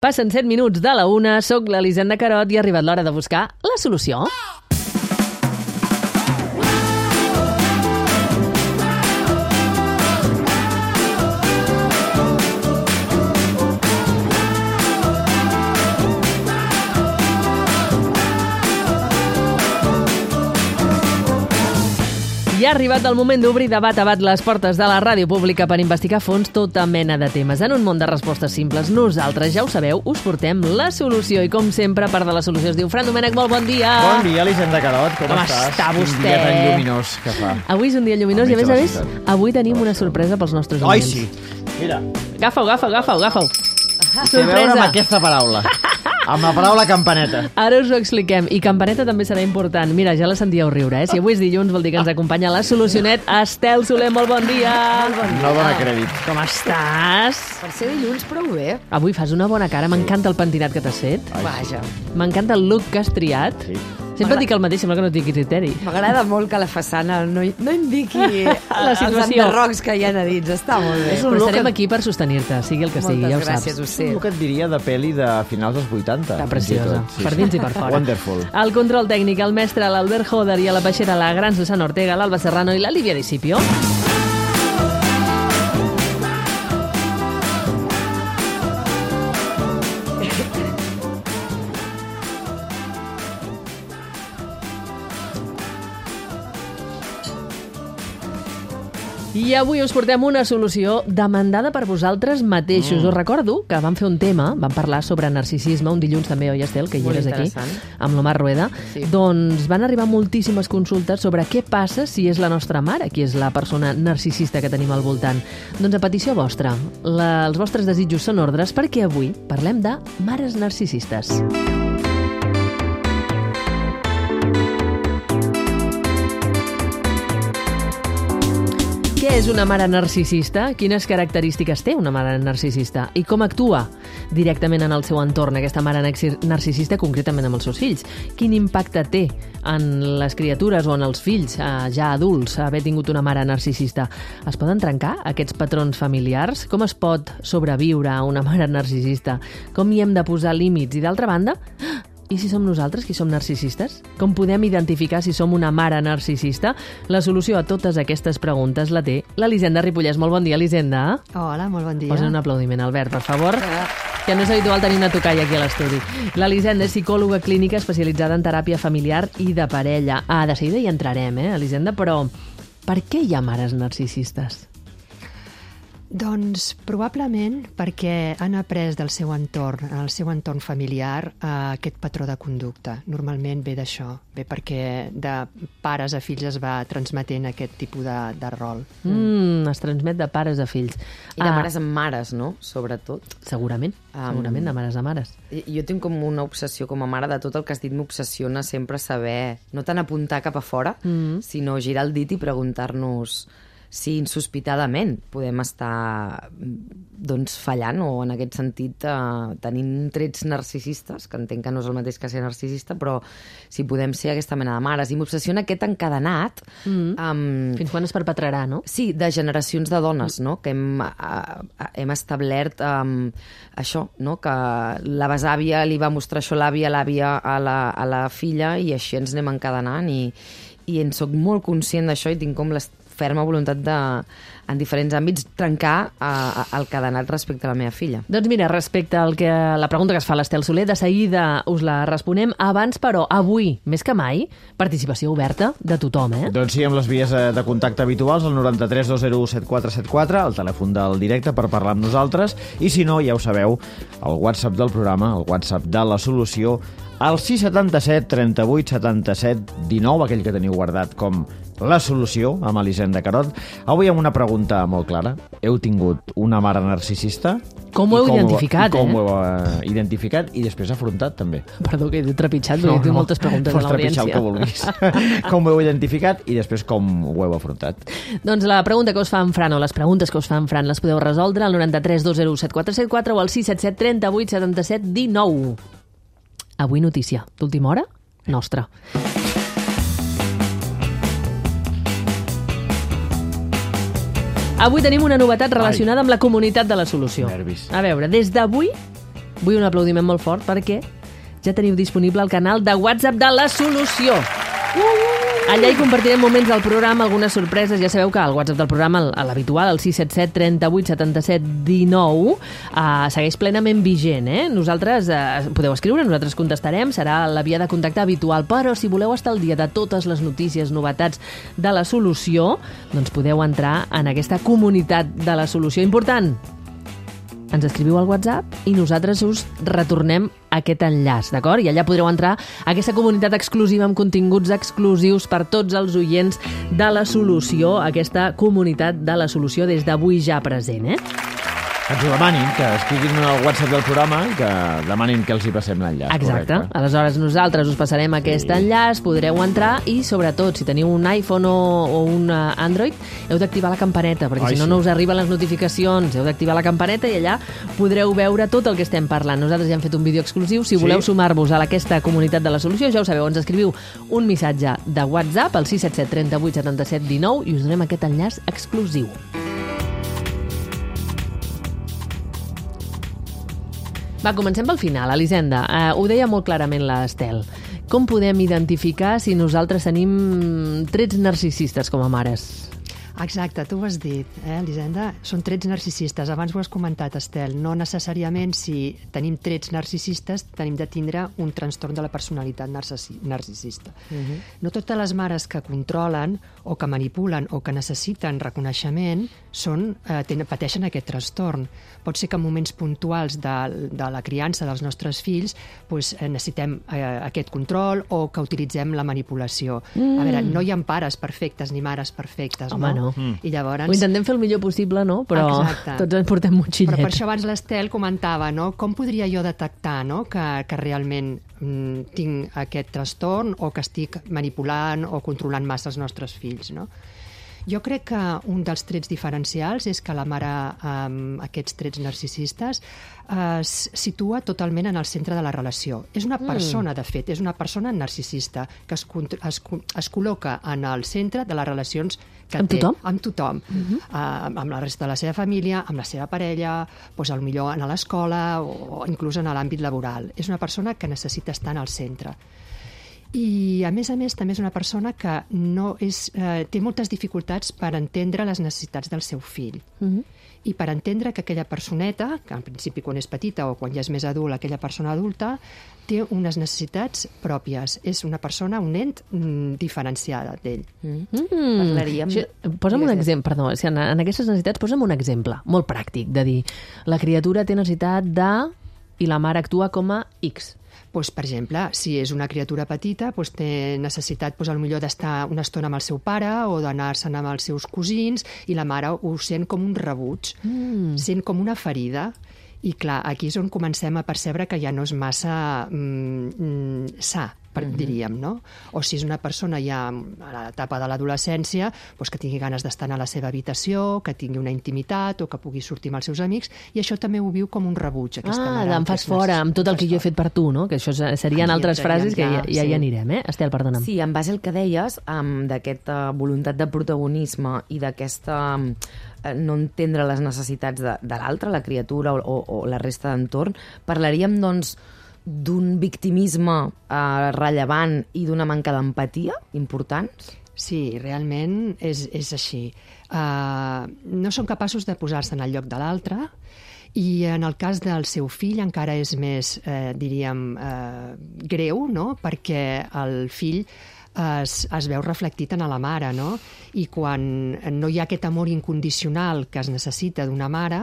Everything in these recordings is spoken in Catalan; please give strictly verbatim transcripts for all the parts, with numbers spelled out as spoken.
Passen set minuts de la una, soc l'Elisenda Carot i ha arribat l'hora de buscar la solució. I ha arribat el moment d'obrir de bat a bat les portes de la ràdio pública per investigar a fons tota mena de temes. En un món de respostes simples, nosaltres, ja ho sabeu, us portem la solució. I com sempre, part de la solució es diu Fran Domènech, molt bon dia! Bon dia, Elisenda Carot, com, com estàs? està vostè? Un dia tan lluminós que fa. Avui és un dia lluminós i, a més a més, avui tenim una sorpresa pels nostres Ai, oients. sí! Mira. Agafa-ho, agafa-ho, agafa-ho, agafa-ho. Té a veure amb aquesta paraula. Amb la paraula campaneta. Ara us ho expliquem. I campaneta també serà important. Mira, ja la sentíeu riure, eh? Si avui és dilluns vol dir que ens acompanya la solucionet Estel Soler. Molt bon dia! Molt bon dia. No dona crèdit. Com estàs? Per ser dilluns, prou bé. Avui fas una bona cara. M'encanta el pentinat que t'has fet. Vaja. M'encanta el look que has triat. Sí. Sempre et dic el mateix, sembla que no tingui criteri. M'agrada molt que la façana no, no indiqui La els situació. enderrocs que hi ha a dins. Està molt bé. És un Però look estarem que- aquí per sostenir-te, sigui el que sigui, ja ho Moltes gràcies, saps. ho sé. El que et diria de pel·li de finals dels vuitanta. Està fins i preciosa, tot. per dins i per fora. Wonderful. El control tècnic, el mestre, l'Albert Joder, i a la peixera, la gran Susana Ortega, l'Alba Serrano i la Lívia Discipio. I avui us portem una solució demandada per vosaltres mateixos. Mm. Us recordo que vam fer un tema, vam parlar sobre narcisisme un dilluns també, oi, Estel, que hi Molt eres aquí, interessant. amb l'Omar Rueda. Sí. Doncs van arribar moltíssimes consultes sobre què passa si és la nostra mare qui és la persona narcisista que tenim al voltant. Doncs a petició vostra, la, els vostres desitjos són ordres perquè avui parlem de mares narcisistes. Què és una mare narcisista? Quines característiques té una mare narcisista? I com actua directament en el seu entorn aquesta mare narcisista, concretament amb els seus fills? Quin impacte té en les criatures o en els fills, eh, ja adults, haver tingut una mare narcisista? Es poden trencar aquests patrons familiars? Com es pot sobreviure a una mare narcisista? Com hi hem de posar límits? I d'altra banda, i si som nosaltres qui som narcisistes? Com podem identificar si som una mare narcisista? La solució a totes aquestes preguntes la té l'Elisenda Ripollès. Molt bon dia, Elisenda. Hola, molt bon dia. Posa un aplaudiment, Albert, per favor. Que no és habitual tenir una tocalla aquí a l'estudi. L'Elisenda és psicòloga clínica especialitzada en teràpia familiar i de parella. Ah, de seguida hi entrarem, eh, Elisenda, però per què hi ha mares narcisistes? Doncs probablement perquè han après del seu entorn, el seu entorn familiar, eh, aquest patró de conducta. Normalment ve d'això, ve perquè de pares a fills es va transmetent aquest tipus de, de rol. Mm, es transmet de pares a fills. I de Ah, mares amb mares, no? Sobretot. Segurament, Um, segurament de mares a mares. I- Jo tinc com una obsessió com a mare de tot el que has dit, m'obsessiona sempre saber, no tant apuntar cap a fora, Mm. sinó girar el dit i preguntar-nos si insospitadament podem estar doncs, fallant o en aquest sentit eh, tenint trets narcisistes, que entenc que no és el mateix que ser narcisista, però si podem ser aquesta mena de mares. I m'obsessiona aquest encadenat Mm. amb... Fins quan es perpetrarà, no? Sí, de generacions de dones, no? Que hem, eh, hem establert um, això, no? Que la besàvia li va mostrar això a l'àvia, l'àvia a la, a la filla, i així ens anem encadenant, i, i en soc molt conscient d'això i tinc com la ferma voluntat de, en diferents àmbits, trencar uh, el cadenat respecte a la meva filla. Doncs mira, respecte al que la pregunta que es fa l'Estel Soler, de seguida us la responem. Abans, però, avui, més que mai, participació oberta de tothom, eh? Doncs sí, amb les vies eh, de contacte habituals, el noranta-tres dos zero u set quatre set quatre, el telèfon del directe per parlar amb nosaltres, i si no, ja ho sabeu, el WhatsApp del programa, el WhatsApp de la solució, el sis setanta set trenta-vuit setanta-set dinou, aquell que teniu guardat com la solució, amb Elisenda Carot. Avui amb una pregunta molt clara. Heu tingut una mare narcisista? Com ho heu I identificat, i com eh? ho heu eh, identificat i després afrontat, també. Perdó, que he trepitjat, perquè no, tinc moltes preguntes a pots trepitjar el l'audiència. que vulguis. Com ho heu identificat i després com ho heu afrontat. Doncs la pregunta que us fa en Fran, o les preguntes que us fa en Fran, les podeu resoldre al noranta-tres dos zero u set quatre set quatre o al sis set set trenta-vuit setanta-set dinou. Avui notícia d'última hora, nostra. Avui tenim una novetat relacionada amb la comunitat de la solució. Nervis. A veure, des d'avui vull un aplaudiment molt fort perquè ja teniu disponible el canal de WhatsApp de La Solució. Allà hi compartirem moments del programa, algunes sorpreses. Ja sabeu que el WhatsApp del programa, l'habitual, el sis set set, trenta-vuit, setanta-set, dinou, eh, segueix plenament vigent. Eh? Nosaltres eh, podeu escriure, nosaltres contestarem, serà la via de contacte habitual, però si voleu estar al dia de totes les notícies, novetats de La Solució, doncs podeu entrar en aquesta comunitat de La Solució. Important, ens escriviu al WhatsApp i nosaltres us retornem aquest enllaç, d'acord? I allà podreu entrar a aquesta comunitat exclusiva amb continguts exclusius per tots els oients de La Solució, aquesta comunitat de La Solució des d'avui ja present, eh? Que ens ho demanin, que escriguin al WhatsApp del programa i que demanin que els hi passem l'enllaç. Exacte. Correcte. Aleshores nosaltres us passarem sí. aquest enllaç, podreu entrar i, sobretot, si teniu un iPhone o, o un Android, heu d'activar la campaneta, perquè Ai, si no, sí. no us arriben les notificacions. Heu d'activar la campaneta i allà podreu veure tot el que estem parlant. Nosaltres ja hem fet un vídeo exclusiu. Si voleu sí. sumar-vos a aquesta comunitat de La Solució, ja ho sabeu, ens escriviu un missatge de WhatsApp al sis set set, trenta-vuit, setanta-set, dinou i us donem aquest enllaç exclusiu. Va, comencem pel final, Elisenda. Uh, ho deia molt clarament l'Estel. Com podem identificar si nosaltres tenim trets narcisistes com a mares? Exacte, tu ho has dit, eh, Elisenda? Són trets narcisistes. Abans ho has comentat, Estel. No necessàriament si tenim trets narcisistes tenim de tindre un trastorn de la personalitat narcisista. Uh-huh. No totes les mares que controlen o que manipulen o que necessiten reconeixement són, eh, tenen, pateixen aquest trastorn. Pot ser que en moments puntuals de, de la criança dels nostres fills pues, eh, necessitem eh, aquest control o que utilitzem la manipulació. Mm. A veure, no hi ha pares perfectes ni mares perfectes, Home, no? no? Mm. I llavors... Ho intentem fer el millor possible, no? Però Exacte. tots ens portem motxillet. Però per això abans l'Estel comentava, no? Com podria jo detectar, no? que, que realment mm, tinc aquest trastorn o que estic manipulant o controlant massa els nostres fills, no? Jo crec que un dels trets diferencials és que la mare amb aquests trets narcisistes es situa totalment en el centre de la relació. És una persona, de fet, és una persona narcisista que es, es, es col·loca en el centre de les relacions que amb té. Tothom? Amb tothom? Uh-huh. uh, amb la resta de la seva família, amb la seva parella, doncs, potser a l'escola o inclús en l'àmbit laboral. És una persona que necessita estar en el centre. I, a més a més, també és una persona que no és, eh, té moltes dificultats per entendre les necessitats del seu fill. Uh-huh. I per entendre que aquella personeta, que en principi quan és petita o quan ja és més adult, aquella persona adulta, té unes necessitats pròpies. És una persona, un nen mm, diferenciada d'ell. Mm. Parlaríem... Sí, posa'm un exemple, perdó, si en, en aquestes necessitats posa'm un exemple molt pràctic, de dir, la criatura té necessitat de... i la mare actua com a X. Pues, per exemple, si és una criatura petita, pues, té necessitat pues, potser d'estar una estona amb el seu pare o d'anar-se'n amb els seus cosins i la mare ho sent com un rebuig, mm. sent com una ferida. I clar, aquí és on comencem a percebre que ja no és massa mm, sa, per, mm-hmm. diríem, no? O si és una persona ja a l'etapa de l'adolescència, doncs que tingui ganes d'estar a la seva habitació, que tingui una intimitat o que pugui sortir amb els seus amics, i això també ho viu com un rebuig, aquesta ah, mare. Ah, em fas fora, amb tot el que jo he fet per tu, no? Que això serien Aquí altres frases que ja, ja sí. hi anirem, eh? Estel, perdona'm. Sí, en base al que deies, um, d'aquesta voluntat de protagonisme i d'aquesta... Um, no entendre les necessitats de, de l'altre, la criatura o, o, o la resta d'entorn, parlaríem, doncs, d'un victimisme eh, rellevant i d'una manca d'empatia importants? Sí, realment és, és així. Uh, no són capaços de posar-se en el lloc de l'altre i en el cas del seu fill encara és més, eh, diríem, eh, greu, no? Perquè el fill Es, es veu reflectit en la mare, no? I quan no hi ha aquest amor incondicional que es necessita d'una mare,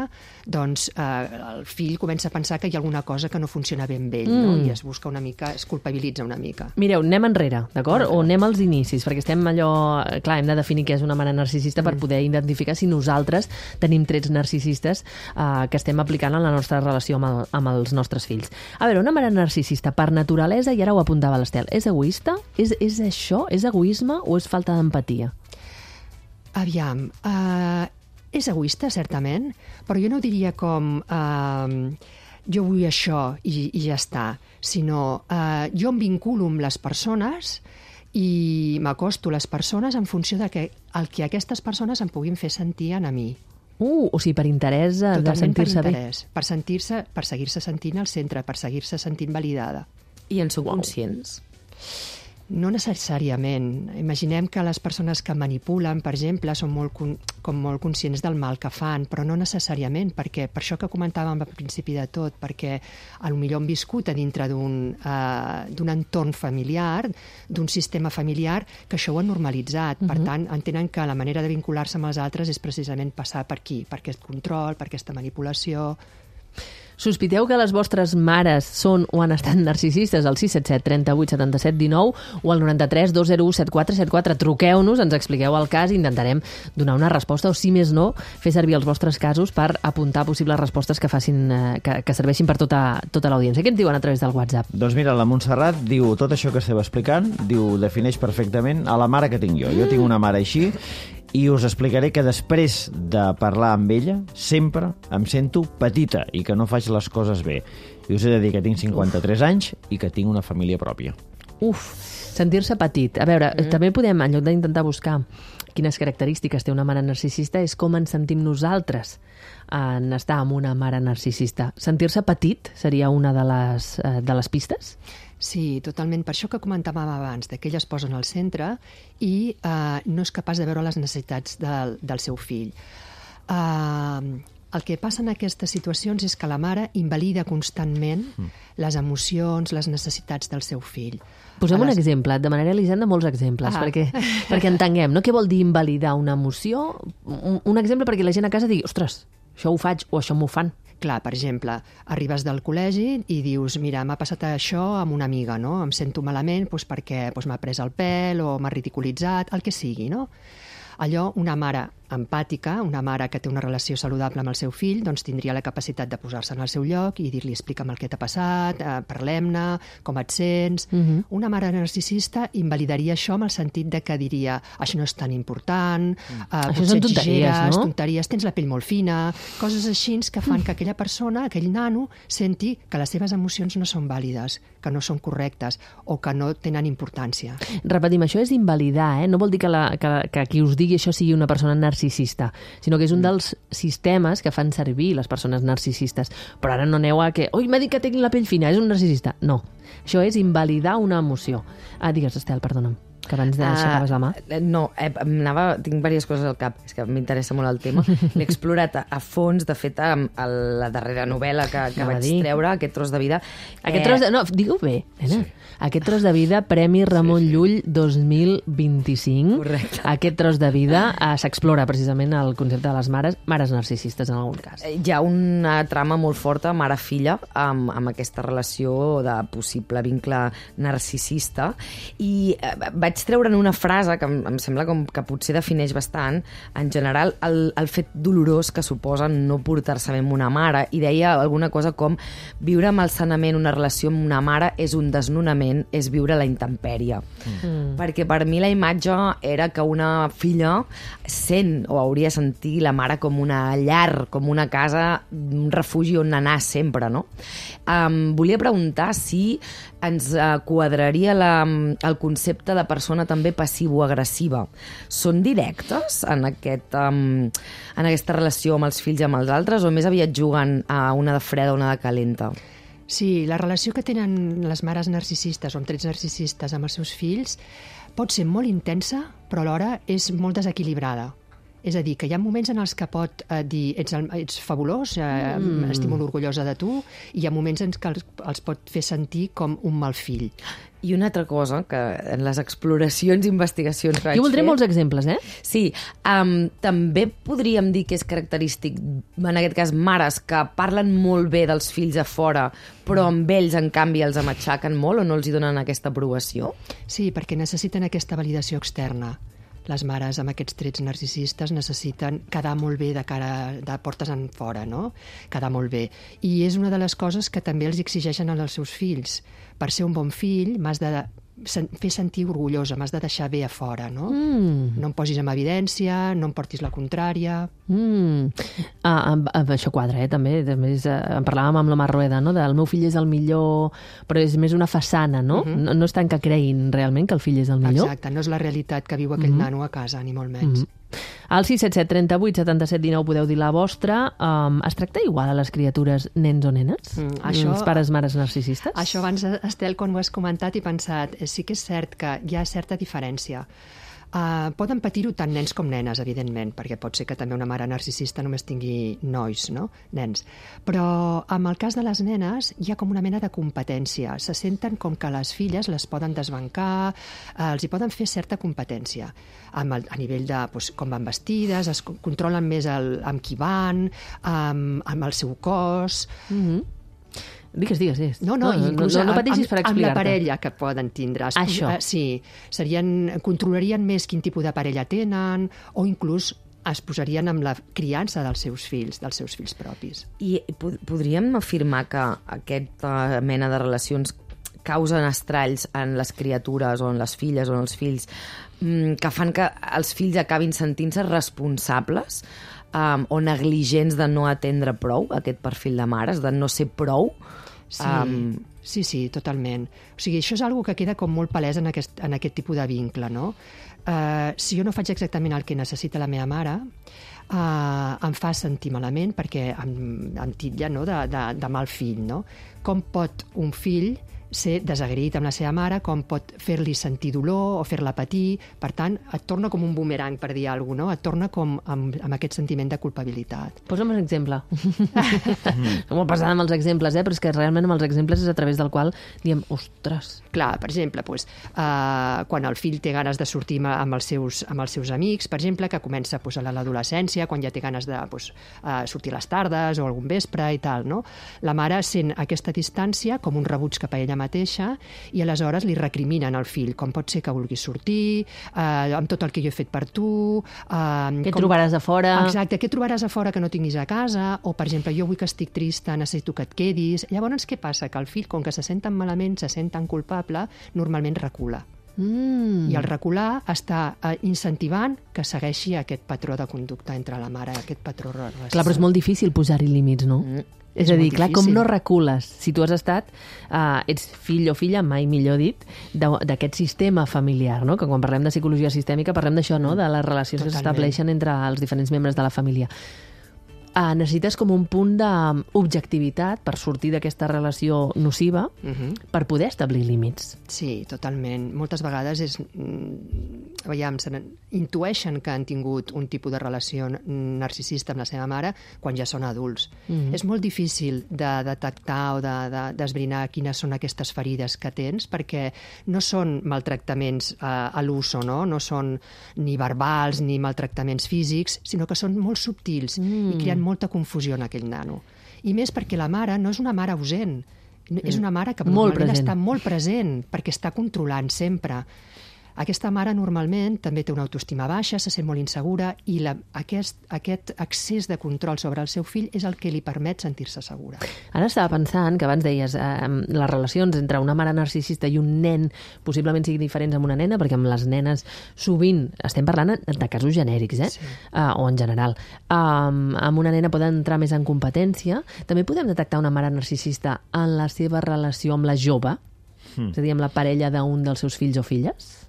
doncs eh, el fill comença a pensar que hi ha alguna cosa que no funciona ben bé, mm. no? I es busca una mica, es culpabilitza una mica. Mireu, anem enrere, d'acord? O anem als inicis, perquè estem allò... Clar, hem de definir què és una mare narcisista mm. per poder identificar si nosaltres tenim trets narcisistes eh, que estem aplicant en la nostra relació amb, el, amb els nostres fills. A veure, una mare narcisista per naturalesa, i ara ho apuntava l'Estel, és egoista? És, és això? És egoisme o és falta d'empatia? Aviam, uh, és egoista, certament, però jo no diria com uh, jo vull això i, i ja està, sinó uh, jo em vinculo amb les persones i m'acosto a les persones en funció de que el que aquestes persones em puguin fer sentir a mi. Uh, o sigui, per interès de Totalment per sentir-se bé. interès, per sentir-se, per seguir-se sentint al centre, per seguir-se sentint validada. I en són conscients? No necessàriament. Imaginem que les persones que manipulen, per exemple, són molt, con com molt conscients del mal que fan, però no necessàriament, perquè per això que comentàvem al principi de tot, perquè potser han viscut a dintre d'un uh, d'un entorn familiar, d'un sistema familiar, que això ho han normalitzat. Uh -huh. Per tant, entenen que la manera de vincular-se amb els altres és precisament passar per aquí, per aquest control, per aquesta manipulació. Sospiteu que les vostres mares són o han estat narcisistes al sis set set, trenta-vuit, setanta-set, dinou o al noranta-tres, dos zero u, set quatre set quatre. Truqueu-nos, ens expliqueu el cas i intentarem donar una resposta o, si més no, fer servir els vostres casos per apuntar possibles respostes que facin eh, que, que serveixin per tota, tota l'audiència. Què ens diuen a través del WhatsApp? Doncs mira, la Montserrat diu tot això que esteu explicant, diu, defineix perfectament a la mare que tinc jo. Jo tinc una mare així i us explicaré que després de parlar amb ella sempre em sento petita i que no faig les coses bé. I us he de dir que tinc cinquanta-tres Uf. anys i que tinc una família pròpia. Uf, sentir-se petit. A veure, mm. també podem, en lloc d'intentar buscar quines característiques té una mare narcisista, és com ens sentim nosaltres en estar amb una mare narcisista. Sentir-se petit seria una de les, eh, de les pistes? Sí, totalment. Per això que comentàvem abans, de que ella es posa en el centre i eh, no és capaç de veure les necessitats del, del seu fill. Eh, el que passa en aquestes situacions és que la mare invalida constantment mm. les emocions, les necessitats del seu fill. Posem les... un exemple, et demanaré, Elisenda, molts exemples, ah. perquè, perquè entenguem, no? Què vol dir invalidar una emoció? Un, un exemple perquè la gent a casa digui, ostres, això ho faig o això m'ho fan. Clar, per exemple, arribes del col·legi i dius, mira, m'ha passat això amb una amiga, no? Em sento malament doncs, perquè doncs, m'ha pres el pèl o m'ha ridiculitzat, el que sigui, no? Allò, una mare empàtica, una mare que té una relació saludable amb el seu fill, doncs tindria la capacitat de posar-se en el seu lloc i dir-li, explica'm el que t'ha passat, eh, parlem-ne, com et sents... Uh -huh. Una mare narcisista invalidaria això amb el sentit de que diria, això no és tan important, eh, això són tonteries, no? tonteries, tens la pell molt fina, coses així que fan que aquella persona, aquell nano, senti que les seves emocions no són vàlides, que no són correctes o que no tenen importància. Repetim, això és invalidar, eh? No vol dir que, la, que, que qui us digui això sigui una persona narcisista, sinó que és un dels sistemes que fan servir les persones narcisistes. Però ara no aneu a que, oi, m'ha dit que tinc la pell fina, és un narcisista. No, això és invalidar una emoció. Ah, digues, Estel, perdona'm, que abans d'aixecaves la mà. Uh, no, eh, anava, tinc diverses coses al cap, és que m'interessa molt el tema. L'he explorat a, a fons, de fet, a, a la darrera novel·la que, que vaig dir. treure, Aquest tros de vida. Aquest eh... tros de... No, digue-ho bé, nena. Sí. Aquest tros de vida, Premi Ramon sí, sí. Llull dos mil vint-i-cinc. Correcte. Aquest tros de vida eh, s'explora precisament el concepte de les mares, mares narcisistes en algun cas. Hi ha una trama molt forta, mare-filla, amb, amb aquesta relació de possible vincle narcisista, i eh, vaig treure'n una frase que em, em sembla com que potser defineix bastant, en general, el, el fet dolorós que suposa no portar-se bé amb una mare, i deia alguna cosa com viure malsanament una relació amb una mare és un desnonament, és viure la intempèrie. Mm. Perquè per mi la imatge era que una filla sent o hauria de sentir la mare com una llar, com una casa, un refugi on anar sempre, no? Um, volia preguntar si ens uh, quadraria la, el concepte de persona també passivo-agressiva. Són directes en, aquest, um, en aquesta relació amb els fills i amb els altres, o més aviat juguen a una de freda o una de calenta? Sí, la relació que tenen les mares narcisistes o amb trets narcisistes amb els seus fills pot ser molt intensa, però alhora és molt desequilibrada. És a dir, que hi ha moments en els que pot eh, dir ets, el, ets fabulós, eh, mm. estic molt orgullosa de tu, i hi ha moments en què els, els pot fer sentir com un mal fill. I una altra cosa, que en les exploracions i investigacions que vaig fer... Jo voldré molts exemples, eh? Sí, um, també podríem dir que és característic, en aquest cas, mares que parlen molt bé dels fills a fora, però amb ells, en canvi, els amatxaquen molt o no els hi donen aquesta aprovació? Sí, perquè necessiten aquesta validació externa. Les mares amb aquests trets narcisistes necessiten quedar molt bé de cara de portes en fora, no? Quedar molt bé. I és una de les coses que també els exigeixen als seus fills. Per ser un bon fill m'has de fer sentir orgullosa, m'has de deixar bé a fora, no? Mm. No em posis en evidència, no em portis la contrària... Mm. Ah, amb, amb això quadra, eh, també. també és, eh, en parlàvem amb l'Omar Rueda, no? Del meu fill és el millor, però és més una façana, no? Uh-huh. no? No és tant que creïn realment que el fill és el millor. Exacte, no és la realitat que viu aquell uh-huh. nano a casa, ni molt menys. Uh-huh. Al sis set set trenta vuit setanta set dinou podeu dir la vostra. Um, es tracta igual a les criatures nens o nenes? Mm, això, Els pares, mares narcisistes? Això abans, Estel, quan ho has comentat, he pensat, sí que és cert que hi ha certa diferència. Uh, poden patir-ho tant nens com nenes, evidentment, perquè pot ser que també una mare narcisista només tingui nois, no? Nens. Però en el cas de les nenes hi ha com una mena de competència. Se senten com que les filles les poden desbancar, uh, els hi poden fer certa competència. Amb el, a nivell de doncs, com van vestides, es controlen més el, amb qui van, amb, amb el seu cos... Mm-hmm. Digues, digues, digues. No, no, no, inclús no, no, no pateixis amb, per explicar-te. amb la parella que poden tindre. Això. Sí, serien, controlarien més quin tipus de parella tenen o inclús es posarien amb la criança dels seus fills, dels seus fills propis. I podríem afirmar que aquesta mena de relacions causen estralls en les criatures o en les filles o en els fills que fan que els fills acabin sentint-se responsables um, o negligents de no atendre prou aquest perfil de mares, de no ser prou? Sí, um... sí, sí, totalment. O sigui, això és una que queda com molt palès en aquest, en aquest tipus de vincle, no? Uh, si jo no faig exactament el que necessita la meva mare, uh, em fa sentir malament perquè em, em titlla, no?, de, de, de mal fill, no? Com pot un fill ser desagraït amb la seva mare, com pot fer-li sentir dolor o fer-la patir. Per tant, et torna com un bumerang, per dir alguna cosa, no? Et torna com amb, amb aquest sentiment de culpabilitat. Posa'm un exemple. Som molt passada amb els exemples, eh? Però és que realment amb els exemples és a través del qual diem, ostres. Clar, per exemple, doncs, uh, quan el fill té ganes de sortir amb els seus, amb els seus amics, per exemple, que comença doncs, a l'adolescència, quan ja té ganes de doncs, uh, sortir a les tardes o algun vespre i tal, no? La mare sent aquesta distància com un rebuig cap a ella mateixa i aleshores li recriminen al fill com pot ser que vulguis sortir, eh, amb tot el que jo he fet per tu... Eh, què com... trobaràs a fora? Exacte, què trobaràs a fora que no tinguis a casa? O, per exemple, jo vull que estic trista, necessito que et quedis... Llavors, què passa? Que el fill, com que se sent tan malament, se sent tan culpable, normalment recula. Mm. I el recular està eh, incentivant que segueixi aquest patró de conducta entre la mare i aquest patró... Clar, però és molt difícil posar-hi límits, no? Mm. És, és a dir, clar, com no recules? Si tu has estat, uh, ets fill o filla, mai millor dit, d'aquest sistema familiar, no? Que quan parlem de psicologia sistèmica parlem d'això, no? De les relacions Totalment. Que s'estableixen entre els diferents membres de la família. Uh, necessites com un punt d'objectivitat per sortir d'aquesta relació nociva uh-huh. per poder establir límits. Sí, totalment. Moltes vegades és, veiem, intueixen que han tingut un tipus de relació narcisista amb la seva mare quan ja són adults. Uh-huh. És molt difícil de detectar o de, de, d'esbrinar quines són aquestes ferides que tens perquè no són maltractaments uh, a l'uso, no? No són ni verbals ni maltractaments físics, sinó que són molt subtils mm. i creen molta confusió en aquell nano. I més perquè la mare no és una mare ausent, és una mare que normalment està molt present perquè està controlant sempre. Aquesta mare normalment també té una autoestima baixa, se sent molt insegura i la, aquest, aquest excés de control sobre el seu fill és el que li permet sentir-se segura. Ara estava pensant que abans deies eh, les relacions entre una mare narcisista i un nen possiblement siguin diferents amb una nena, perquè amb les nenes sovint, estem parlant de casos genèrics, eh? Sí. Uh, o en general. Um, amb una nena poden entrar més en competència. També podem detectar una mare narcisista en la seva relació amb la jove, mm. és a dir, amb la parella d'un dels seus fills o filles?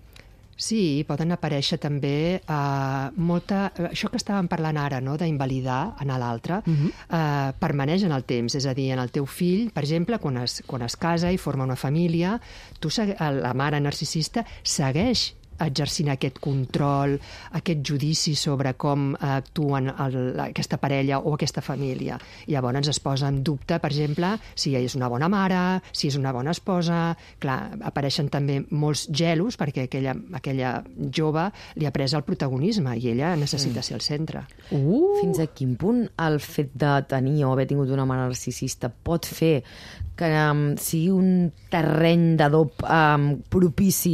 Sí, poden aparèixer també eh, molta... Això que estàvem parlant ara, no?, d'invalidar en l'altre, uh-huh. eh, permaneix en el temps. És a dir, en el teu fill, per exemple, quan es, quan es casa i forma una família, tu, la mare narcisista segueix exercint aquest control, aquest judici sobre com actuen el, aquesta parella o aquesta família. I llavors es posa en dubte, per exemple, si és una bona mare, si és una bona esposa... Clar, apareixen també molts gelos perquè aquella, aquella jove li ha pres el protagonisme i ella necessita ser el centre. Uh. Fins a quin punt el fet de tenir o haver tingut una mare narcisista pot fer que um, sigui un terreny d'adob um, propici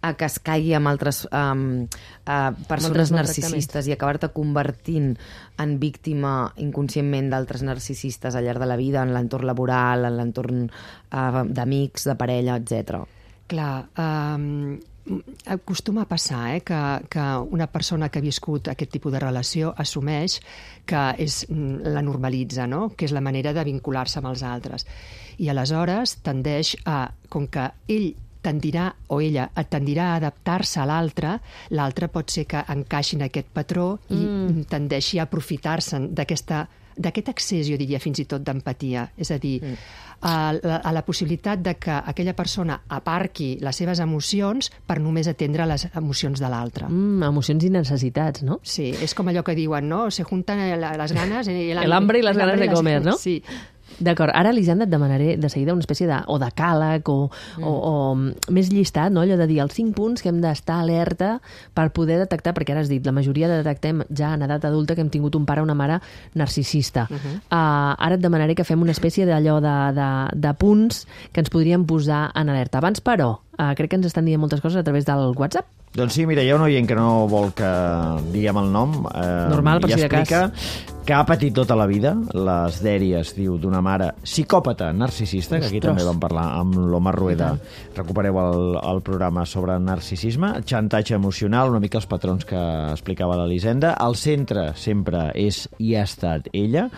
a que es caigui amb altres um, uh, persones narcisistes i acabar-te convertint en víctima inconscientment d'altres narcisistes al llarg de la vida, en l'entorn laboral, en l'entorn uh, d'amics, de parella, etcètera. Clar, um, acostuma a passar eh, que, que una persona que ha viscut aquest tipus de relació assumeix que és, la normalitza, no? Que és la manera de vincular-se amb els altres. I aleshores tendeix a, com que ell tendirà, o ella tendirà a adaptar-se a l'altre, l'altre pot ser que encaixi en aquest patró i mm. tendeixi a aprofitar-se d'aquesta d'aquest accés, jo diria, fins i tot d'empatia. És a dir, mm. a, la, a la possibilitat de que aquella persona aparqui les seves emocions per només atendre les emocions de l'altre. Mm, emocions i necessitats, no? Sí, és com allò que diuen, no? Se juntan les ganes... El hambre i les ganes de comer, no? Sí. D'acord, ara, Elisenda, et demanaré de seguida una espècie de, o de càleg o, mm. o, o més llistat, no? Allò de dir els cinc punts que hem d'estar alerta per poder detectar, perquè ara has dit, la majoria de detectem ja en edat adulta que hem tingut un pare o una mare narcisista. Uh -huh. uh, ara et demanaré que fem una espècie d'allò de, de, de punts que ens podríem posar en alerta. Abans, però, uh, crec que ens estan dient moltes coses a través del WhatsApp. Doncs sí, mira, hi ha un oient que no vol que diguem el nom. Eh, Normal, per si de cas. Que ha patit tota la vida les dèries, diu, d'una mare psicòpata narcisista, que aquí Ostres. també vam parlar amb l'Omar Rueda. Recupereu el, el programa sobre narcisisme, xantatge emocional, una mica els patrons que explicava l'Elisenda. Al centre sempre és i ha estat ella.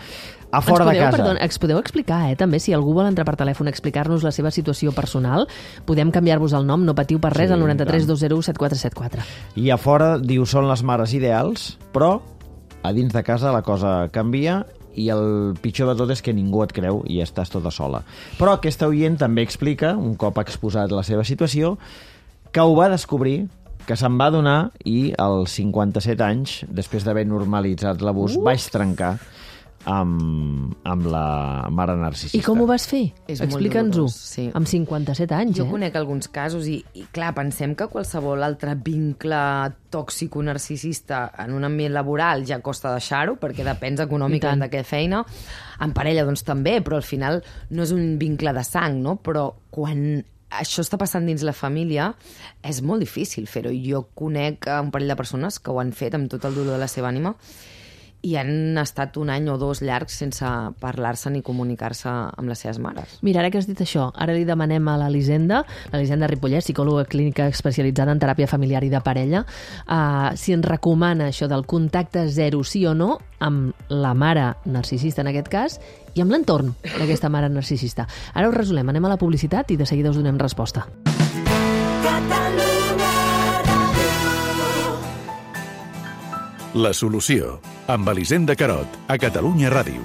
A fora podeu, de casa. Perdó, ens podeu explicar, eh, també, si algú vol entrar per telèfon a explicar-nos la seva situació personal, podem canviar-vos el nom, no patiu per res, Sí, al noranta-tres tant. dos zero u set quatre set quatre. I a fora, diu, són les mares ideals, però a dins de casa la cosa canvia i el pitjor de tot és que ningú et creu i estàs tota sola. Però aquesta oient també explica, un cop ha exposat la seva situació, que ho va descobrir, que se'n va adonar i als cinquanta-set anys, després d'haver normalitzat l'abús, uh. vaig trencar amb, amb la mare narcisista. I com ho vas fer? És molt Explica'ns-ho. dolorós, sí. Amb cinquanta-set anys, Jo eh? conec alguns casos i, i, clar, pensem que qualsevol altre vincle tòxico-narcisista en un ambient laboral ja costa deixar-ho, perquè depens econòmicament de què feina. En parella, doncs, també, però al final no és un vincle de sang, no? Però quan això està passant dins la família, és molt difícil fer-ho. Jo conec un parell de persones que ho han fet amb tot el dolor de la seva ànima i han estat un any o dos llargs sense parlar-se ni comunicar-se amb les seves mares. Mira, ara que has dit això, ara li demanem a l'Elisenda, l'Elisenda Ripollès, psicòloga clínica especialitzada en teràpia familiar i de parella, uh, si ens recomana això del contacte zero, sí o no, amb la mare narcisista en aquest cas, i amb l'entorn d'aquesta mare narcisista. Ara ho resolem, anem a la publicitat i de seguida us donem resposta. La solució, amb Elisenda Carot, a Catalunya Ràdio.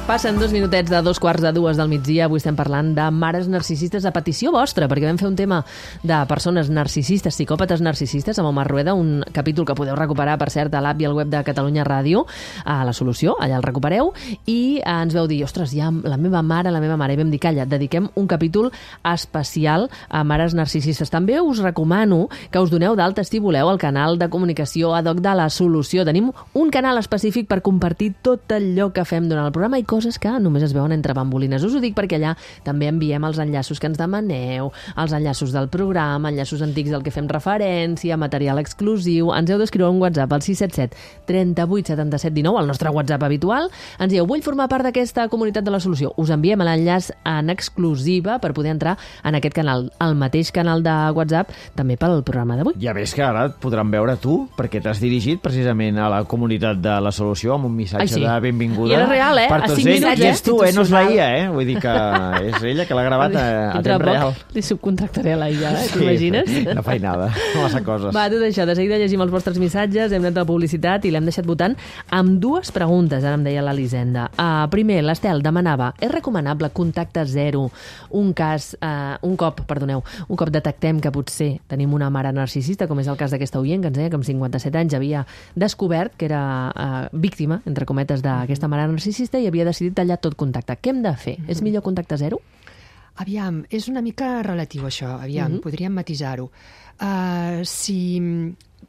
Passen dos minutets de dos quarts de dues del migdia. Avui estem parlant de mares narcisistes a petició vostra, perquè vam fer un tema de persones narcisistes, psicòpates narcisistes, amb Omar Rueda, un capítol que podeu recuperar, per cert, a l'app i al web de Catalunya Ràdio, a La Solució, allà el recupereu, i ens veu dir, ostres, ja la meva mare, la meva mare, i vam dir, calla, dediquem un capítol especial a mares narcisistes. També us recomano que us doneu d'alta, si voleu, al canal de comunicació ad hoc de La Solució. Tenim un canal específic per compartir tot allò que fem durant el programa i coses que només es veuen entre bambolines. Us ho dic perquè allà també enviem els enllaços que ens demaneu, els enllaços del programa, enllaços antics del que fem referència, material exclusiu. Ens heu d'escriure un WhatsApp al sis set set, trenta-vuit, setanta-set, dinou, el nostre WhatsApp habitual. Ens dieu, vull formar part d'aquesta comunitat de La Solució. Us enviem l'enllaç en exclusiva per poder entrar en aquest canal, el mateix canal de WhatsApp, també pel programa d'avui. Ja ves que ara et podran veure tu, perquè t'has dirigit precisament a la comunitat de La Solució amb un missatge Ai, sí. de benvinguda. I era real, eh? Per A tots cinc ells. minuts, I eh? és tu, eh? No és la I A, eh? Vull dir que és ella que l'ha gravat a, a Dintre temps poc real. li subcontractaré a la I A, eh? T'imagines? Sí, una feinada, massa coses. Va, tot això, de seguida llegim els vostres missatges, hem anat a la publicitat i l'hem deixat votant amb dues preguntes, ara em deia l'Elisenda. Uh, primer, l'Estel demanava, és recomanable contacte zero un cas, uh, un cop, perdoneu, un cop detectem que potser tenim una mare narcisista, com és el cas d'aquesta oient, que ens deia que amb cinquanta-set anys havia descobert que era uh, víctima, entre cometes, d'aquesta mare narcisista i havia decidit tallar tot contacte. Què hem de fer? Mm-hmm. És millor contacte zero? Aviam, és una mica relatiu això, aviam, mm-hmm. podríem matisar-ho. Uh, si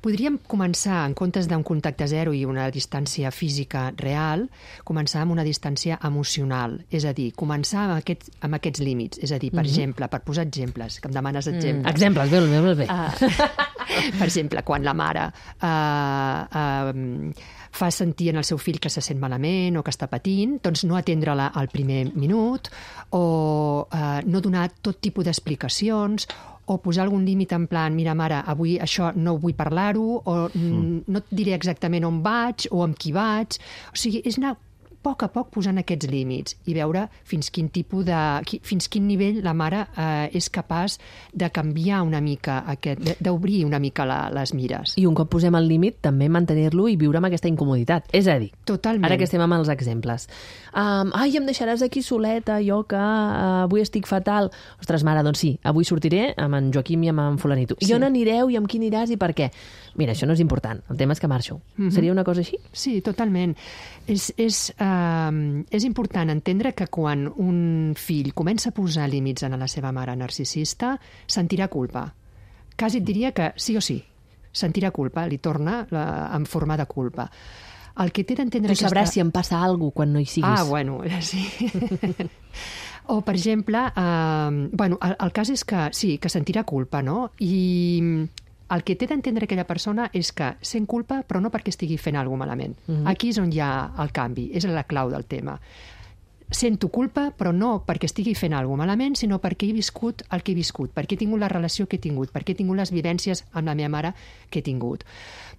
podríem començar, en comptes d'un contacte zero i una distància física real, començar amb una distància emocional. És a dir, començar amb, aquest, amb aquests límits. És a dir, per mm-hmm. exemple, per posar exemples, que em demanes exemples. Mm. Exemples, bé, bé, bé. Uh, per exemple, quan la mare uh, uh, fa sentir en el seu fill que se sent malament o que està patint, doncs no atendre-la al primer minut o uh, no donar tot tipus d'explicacions o posar algun límit en plan, mira, mare, avui això no vull parlar-ho, o mm. no et diré exactament on vaig o amb qui vaig. O sigui, és anar a poc a poc posant aquests límits i veure fins quin tipus de... fins quin nivell la mare eh, és capaç de canviar una mica aquest, d'obrir una mica la, les mires. I un cop posem el límit, també mantenir-lo i viure amb aquesta incomoditat. És a dir, totalment. Ara que estem amb els exemples. Um, ai, em deixaràs aquí soleta, jo que uh, avui estic fatal. Ostres, mare, doncs sí, avui sortiré amb en Joaquim i amb en fulanito. Sí. I on anireu i amb qui aniràs i per què? Mira, això no és important, el tema és que marxo. Mm-hmm. Seria una cosa així? Sí, totalment. És, és, uh, és important entendre que quan un fill comença a posar límits a la seva mare narcisista, sentirà culpa. Quasi et diria que sí o sí, sentirà culpa, li torna la, en forma de culpa. El que té d'entendre... Tu sabràs aquesta... si em passa alguna cosa quan no hi siguis. Ah, bueno, sí. O, per exemple, uh, bueno, el, el cas és que sí, que sentirà culpa, no? I el que té d'entendre aquella persona és que sent culpa, però no perquè estigui fent alguna cosa malament. Mm-hmm. Aquí és on hi ha el canvi, és la clau del tema. Sento culpa, però no perquè estigui fent alguna cosa malament, sinó perquè he viscut el que he viscut, perquè he tingut la relació que he tingut, perquè he tingut les vivències amb la meva mare que he tingut,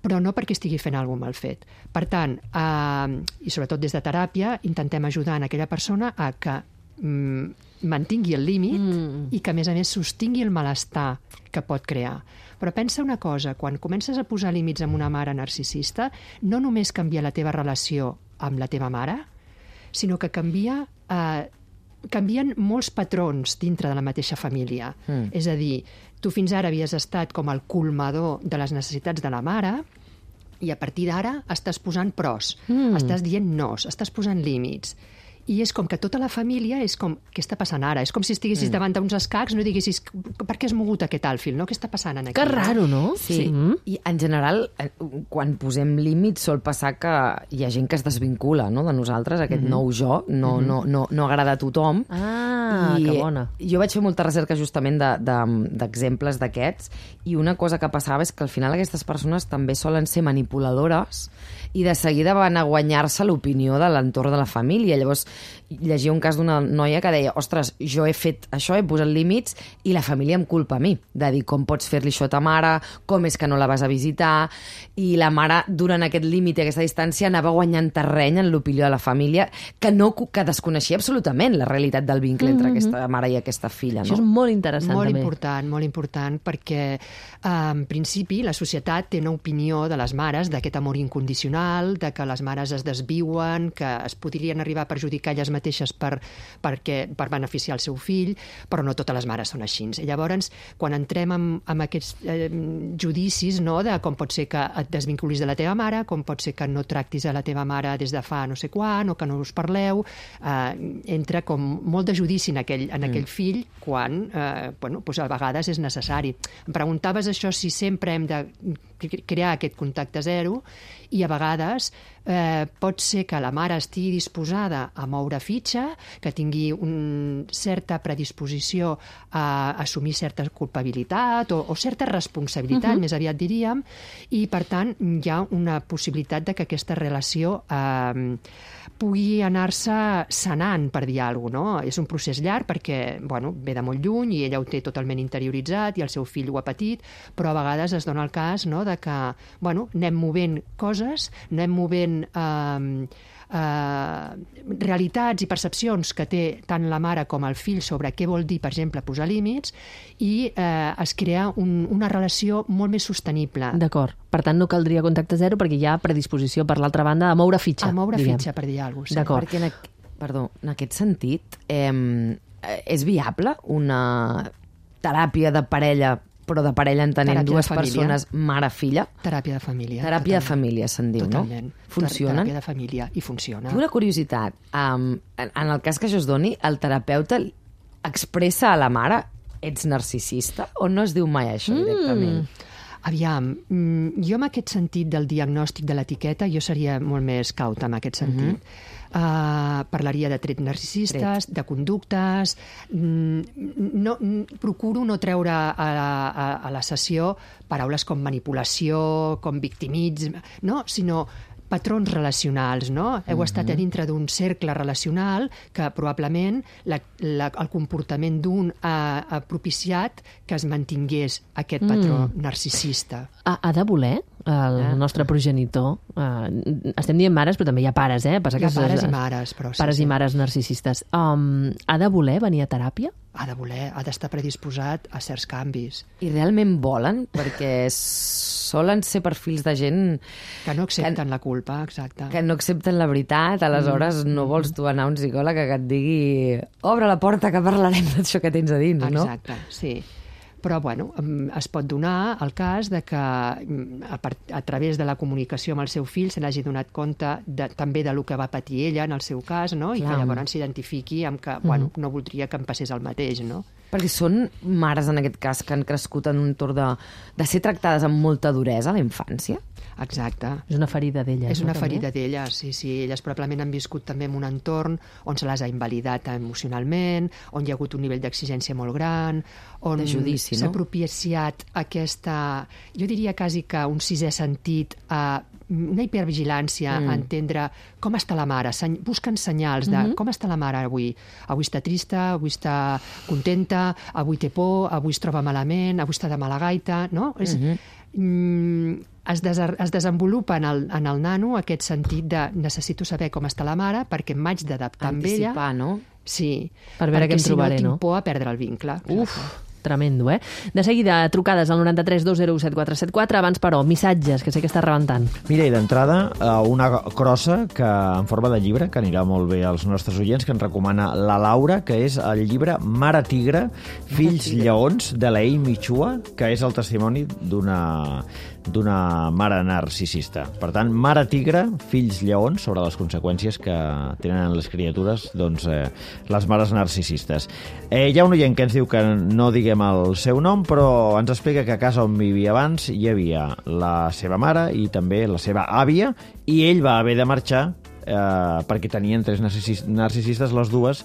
però no perquè estigui fent alguna cosa mal fet. Per tant, eh, i sobretot des de teràpia, intentem ajudar en aquella persona a que mm, mantingui el límit mm. i que, a més a més, sostingui el malestar que pot crear. Però pensa una cosa, quan comences a posar límits amb una mare narcisista, no només canvia la teva relació amb la teva mare, sinó que canvia, eh, canvien molts patrons dintre de la mateixa família. Mm. És a dir, tu fins ara havies estat com el colmador de les necessitats de la mare i a partir d'ara estàs posant pros, mm. estàs dient nos, estàs posant límits. I és com que tota la família és com, què està passant ara? És com si estiguessis mm. davant d'uns escacs, no diguessis, per què has mogut aquest alfil, no? Què està passant aquí? Que raro, no? Sí, sí. Mm. I en general, quan posem límits, sol passar que hi ha gent que es desvincula, no?, de nosaltres, aquest mm-hmm. nou jo, no, mm-hmm. no, no, no agrada a tothom. Ah, I que bona. Jo vaig fer molta recerca justament d'exemples de, de, d'aquests, i una cosa que passava és que al final aquestes persones també solen ser manipuladores i de seguida van a guanyar-se l'opinió de l'entorn de la família. Llavors, llegia un cas d'una noia que deia, ostres, jo he fet això, he posat límits i la família em culpa a mi, de dir com pots fer-li això a ta mare, com és que no la vas a visitar, i la mare, durant aquest límit i aquesta distància, anava guanyant terreny en l'opinió de la família, que no que desconeixia absolutament la realitat del vincle entre mm-hmm. aquesta mare i aquesta filla. No? Això és molt interessant, molt també. Molt important, molt important, perquè eh, en principi la societat té una opinió de les mares d'aquest amor incondicional, de que les mares es desviuen, que es podrien arribar a perjudicar elles mateixes per, perquè, per beneficiar el seu fill, però no totes les mares són així. I llavors, quan entrem en, en aquests eh, judicis, no?, de com pot ser que et desvinculis de la teva mare, com pot ser que no tractis a la teva mare des de fa no sé quan, o que no us parleu, eh, entra com molt de judici en aquell, en aquell mm. fill, quan eh, bueno, doncs a vegades és necessari. Em preguntaves això, si sempre hem de crear aquest contacte zero, i a vegades eh, pot ser que la mare estigui disposada a moure fitxa, que tingui una certa predisposició a assumir certa culpabilitat o, o certa responsabilitat, uh-huh. més aviat diríem, i per tant hi ha una possibilitat de que aquesta relació eh, pugui anar-se sanant, per dir alguna cosa, no? És un procés llarg perquè, bueno, ve de molt lluny i ella ho té totalment interioritzat i el seu fill ho ha patit, però a vegades es dona el cas, no?, de que, bueno, anem movent coses, anem movent eh, eh, realitats i percepcions que té tant la mare com el fill sobre què vol dir, per exemple, posar límits, i eh, es crea un, una relació molt més sostenible. D'acord. Per tant, no caldria contacte zero perquè hi ha predisposició, per l'altra banda, a moure fitxa. A moure diguem. fitxa, per dir alguna cosa. Sí. D'acord. Perquè en, aqu... Perdó, en aquest sentit, eh, és viable una teràpia de parella, però de parella entenent teràpia dues persones, mare-filla? Teràpia de família. Teràpia totalment. de família, se'n diu, totalment. no? Funcionen? Teràpia de família, i funciona. Tinc una curiositat. Um, en, en el cas que això es doni, el terapeuta expressa a la mare ets narcisista o no es diu mai això directament? Mm. Aviam, jo en aquest sentit del diagnòstic de l'etiqueta jo seria molt més cauta en aquest sentit. Uh-huh. Uh, parlaria de trets narcisistes, Tret. de conductes... No, procuro no treure a, a, a la sessió paraules com manipulació, com victimisme, no? Sinó patrons relacionals, no? Heu uh-huh. estat a dintre d'un cercle relacional que probablement la, la, el comportament d'un ha, ha propiciat que es mantingués aquest patró mm. narcisista. Ha, ha de voler el eh? nostre progenitor? Uh, estem dient mares, però també hi ha pares, eh? Passa hi ha que pares és, i mares, però sí. Pares sí. i mares narcisistes. Um, ha de voler venir a teràpia? Ha de voler, ha d'estar predisposat a certs canvis. I realment volen? Perquè solen ser perfils de gent... Que no accepten que, la culpa, exacte. Que no accepten la veritat, aleshores mm. no vols tu anar a un psicòleg que et digui obre la porta que parlarem d'això que tens a dins, exacte, no? Exacte, sí. Però, bueno, es pot donar el cas de que a, a través de la comunicació amb el seu fill se n'hagi donat compte de, també de lo que va patir ella en el seu cas, no? I Clar. que llavors s'identifiqui amb que, mm. bueno, no voldria que em passés el mateix, no? Perquè són mares, en aquest cas, que han crescut en un entorn de, de ser tractades amb molta duresa a la infància? Exacte. És una ferida d'elles. És una no, ferida d'elles, sí, sí. Elles probablement han viscut també en un entorn on se les ha invalidat emocionalment, on hi ha hagut un nivell d'exigència molt gran, on s'ha propiciat aquesta, jo diria quasi que un sisè sentit a una hipervigilància, mm. a entendre com està la mare, seny... busquen senyals de mm-hmm. com està la mare avui. Avui està trista, avui està contenta, avui té por, avui es troba malament, avui està de mala gaita, no? És... Mm-hmm. Mm, es, des es desenvolupa en el, en el nano aquest sentit de necessito saber com està la mare perquè m'haig d'adaptar amb ella. Anticipar, no? Sí. Per veure què em trobaré, no? Perquè si no tinc no? por a perdre el vincle. Uf, tremendo, eh? De seguida, trucades al noranta tres dos zero u set quatre set quatre. Abans, però, missatges, que sé que està rebentant. Mira, i d'entrada, una crossa que en forma de llibre, que anirà molt bé als nostres oients, que ens recomana la Laura, que és el llibre Mare Tigre, Fills Lleons, de la Amy Chua, que és el testimoni d'una d'una mare narcisista. Per tant, Mare Tigre, Fills Lleons, sobre les conseqüències que tenen les criatures, doncs, eh, les mares narcisistes. Eh, hi ha un oient que ens diu que no diguem el seu nom, però ens explica que a casa on vivia abans hi havia la seva mare i també la seva àvia, i ell va haver de marxar Eh, perquè tenien tres narcisistes, les dues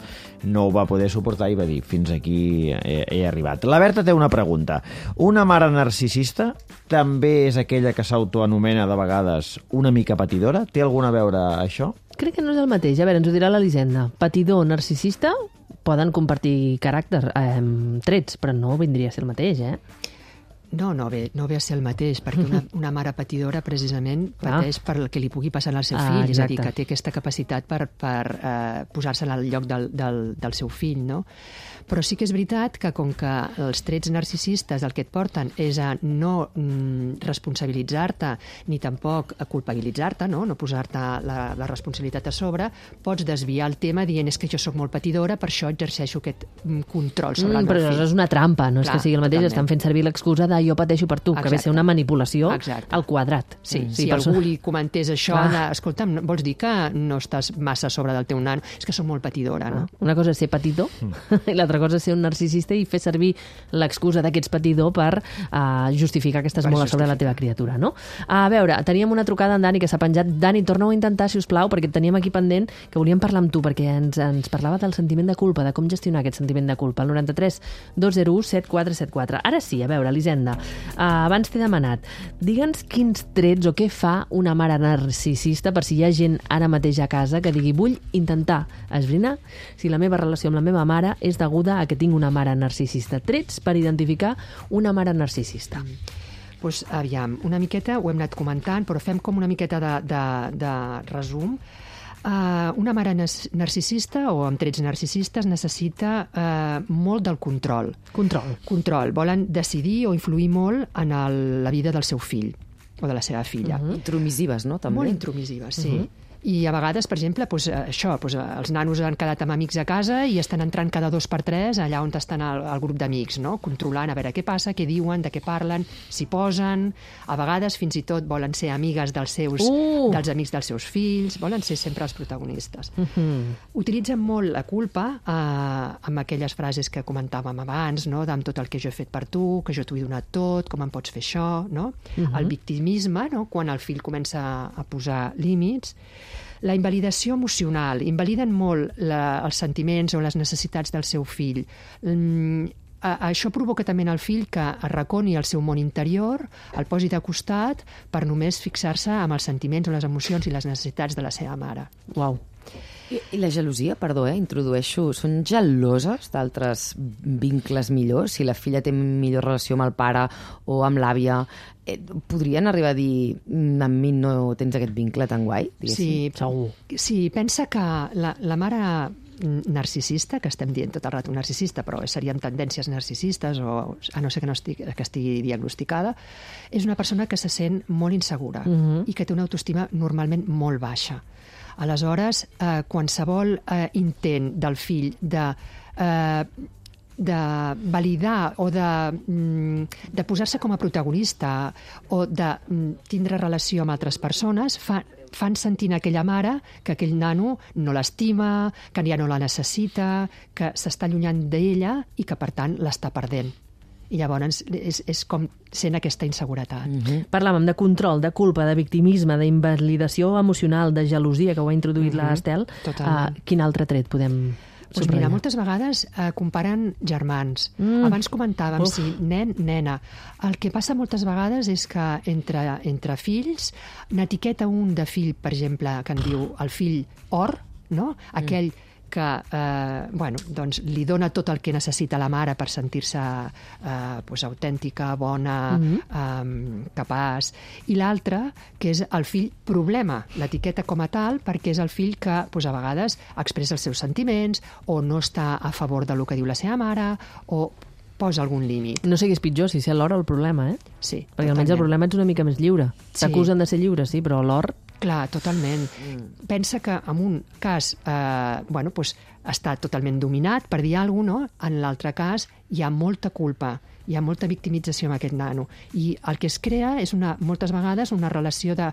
no ho va poder suportar i va dir fins aquí he, he arribat. La Berta té una pregunta. Una mare narcisista també és aquella que s'autoanomena de vegades una mica patidora? Té alguna a veure això? Crec que no és el mateix. A veure, ens ho dirà l'Elisenda. Patidor, narcisista, poden compartir caràcter, eh, trets, però no vindria a ser el mateix, eh? No, no ve, no ve a ser el mateix, perquè una, una mare patidora precisament pateix ah. per el que li pugui passar al seu fill, ah, és a dir, que té aquesta capacitat per, per eh, posar-se al lloc del, del, del seu fill, no? Però sí que és veritat que com que els trets narcisistes el que et porten és a no mm, responsabilitzar-te ni tampoc a culpabilitzar-te, no, no posar-te la, la responsabilitat a sobre, pots desviar el tema dient és que jo sóc molt patidora, per això exerceixo aquest mm, control sobre mm, el meu però fill. Però és una trampa, no és Clar, que sigui el mateix, totalment. estan fent servir l'excusa de jo pateixo per tu, Exacte. que ve ser una manipulació Exacte. al quadrat. Sí, mm, si sí, algú li comentés això, de, escolta'm, vols dir que no estàs massa a sobre del teu nano? És que sóc molt patidora, no? Una cosa és ser patidor mm. i l'altra cosa és ser un narcisista i fer servir l'excusa d'aquest patidor per uh, justificar que estàs per molt a sobre la teva criatura, no? A veure, teníem una trucada en Dani que s'ha penjat. Dani, torna-ho a intentar, si us plau, perquè et teníem aquí pendent, que volíem parlar amb tu, perquè ens, ens parlava del sentiment de culpa, de com gestionar aquest sentiment de culpa. El noranta tres dos zero u set quatre set quatre. Ara sí, a veure, Elisenda, uh, abans t'he demanat, digue'ns quins trets o què fa una mare narcisista per si hi ha gent ara mateix a casa que digui vull intentar esbrinar si la meva relació amb la meva mare és deguda a que tinc una mare narcisista. Trets per identificar una mare narcisista. Mm. Pues, aviam, una miqueta ho hem anat comentant, però fem com una miqueta de, de, de resum. Uh, una mare narcisista o amb trets narcisistes necessita uh, molt del control. Control. Control. Volen decidir o influir molt en el, la vida del seu fill o de la seva filla. Uh-huh. Intromisives, no? També. Molt intromisives, sí. Uh-huh. I a vegades, per exemple, doncs, això, doncs, els nanos han quedat amb amics a casa i estan entrant cada dos per tres allà on estan el, el grup d'amics, no? Controlant a veure què passa, què diuen, de què parlen, s'hi posen. A vegades fins i tot volen ser amigues dels seus, uh! dels amics dels seus fills, volen ser sempre els protagonistes. Uh-huh. Utilitzen molt la culpa eh, amb aquelles frases que comentàvem abans, no? Amb tot el que jo he fet per tu, que jo t'ho he donat tot, com em pots fer això, no? Uh-huh. El victimisme, no? Quan el fill comença a posar límits. La invalidació emocional. Invaliden molt la, els sentiments o les necessitats del seu fill. Mm, a, això provoca també en el fill que arraconi el seu món interior, el posi de costat per només fixar-se amb els sentiments o les emocions i les necessitats de la seva mare. Uau. I, I la gelosia, perdó, eh, introdueixo, són geloses d'altres vincles millors? Si la filla té millor relació amb el pare o amb l'àvia, eh, podrien arribar a dir amb mi no tens aquest vincle tan guai? Sí, segur. Sí, pensa que la, la mare narcisista, que estem dient tot el rato narcisista, però seríem tendències narcisistes, o a no ser que no estigui, que estigui diagnosticada, és una persona que se sent molt insegura uh-huh. i que té una autoestima normalment molt baixa. Aleshores, eh, qualsevol eh, intent del fill de, eh, de validar o de, mm, de posar-se com a protagonista o de mm, tindre relació amb altres persones fa, fan sentint a aquella mare que aquell nano no l'estima, que ja no la necessita, que s'està allunyant d'ella i que, per tant, l'està perdent. I llavors és, és com sent aquesta inseguretat. Mm-hmm. Parlàvem de control, de culpa, de victimisme, d'invalidació emocional, de gelosia, que ho ha introduït mm-hmm. l'Estel. Uh, quin altre tret podem pues subratllar? Mira, moltes vegades uh, comparen germans. Mm. Abans comentàvem Uf. si nen, nena. El que passa moltes vegades és que entre, entre fills n'etiqueta un de fill, per exemple, que en diu el fill or, no? Aquell mm. que eh, bueno, doncs, li dona tot el que necessita la mare per sentir-se eh, pues, autèntica, bona, mm-hmm. eh, capaç. I l'altre, que és el fill problema, l'etiqueta com a tal, perquè és el fill que pues, a vegades expressa els seus sentiments o no està a favor del que diu la seva mare o posa algun límit. No sé què és pitjor, si ser l'or o el problema, eh? Sí, perquè almenys el problema ets una mica més lliure. T'acusen sí. de ser lliure, sí, però l'or... Clar, totalment. Mm. Pensa que en un cas eh, bueno, pues, està totalment dominat, per dir alguna cosa, no? En l'altre cas hi ha molta culpa, hi ha molta victimització amb aquest nano. I el que es crea és una, moltes vegades una relació de,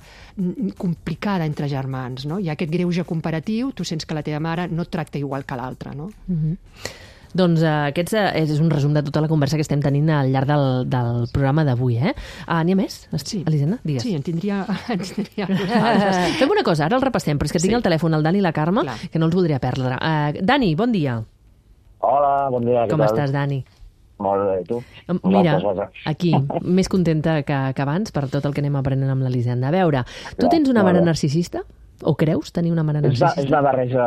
complicada entre germans. No? Hi ha aquest greuge comparatiu, tu sents que la teva mare no et tracta igual que l'altra. No? Mm-hmm. Doncs uh, aquest és un resum de tota la conversa que estem tenint al llarg del, del programa d'avui, eh? Uh, N'hi ha més? Sí. Elisenda, digues. Sí, en tindria... En tindria Fem una cosa, ara el repassem, però és que tinc sí. al telèfon el Dani i la Carme, Clar. que no els voldria perdre. Uh, Dani, bon dia. Hola, bon dia. Com estàs, Dani? Molt bé, tu? Mira, aquí, més contenta que, que abans per tot el que anem aprenent amb l'Elisenda. A veure, tu Clar, tens una mare narcisista? O creus tenir una mare narcisista? És una, és una barreja,